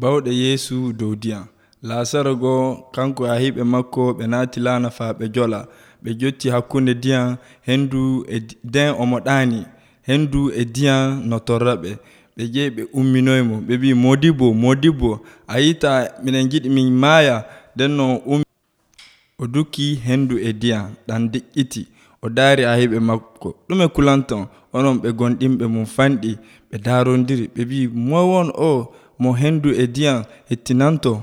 Bawɗe Yeesu dow ndiyam. Laasaro go kanko e hiɓe makko ɓe naati laana faa ɓe jola. Ɓe jotti hakkunde ndiyam hendu nden omo ɗaani. Hendu e ndiyam no torra ɓe. Ɓe jehi ɓe umminoymo. Ɓe mbi Modibbo, a yiita minen giɗi min maaya. Nden no o dukki hendu e ndiyam ɗam deƴƴiti. O daari a hiɓe makko. Ɗume kulanton? Onon ɓe gonɗinɓe mum fanɗi. Ɓe daarondiri. Ɓe mbi moy won o mo hendu e ndiyam hettinanto?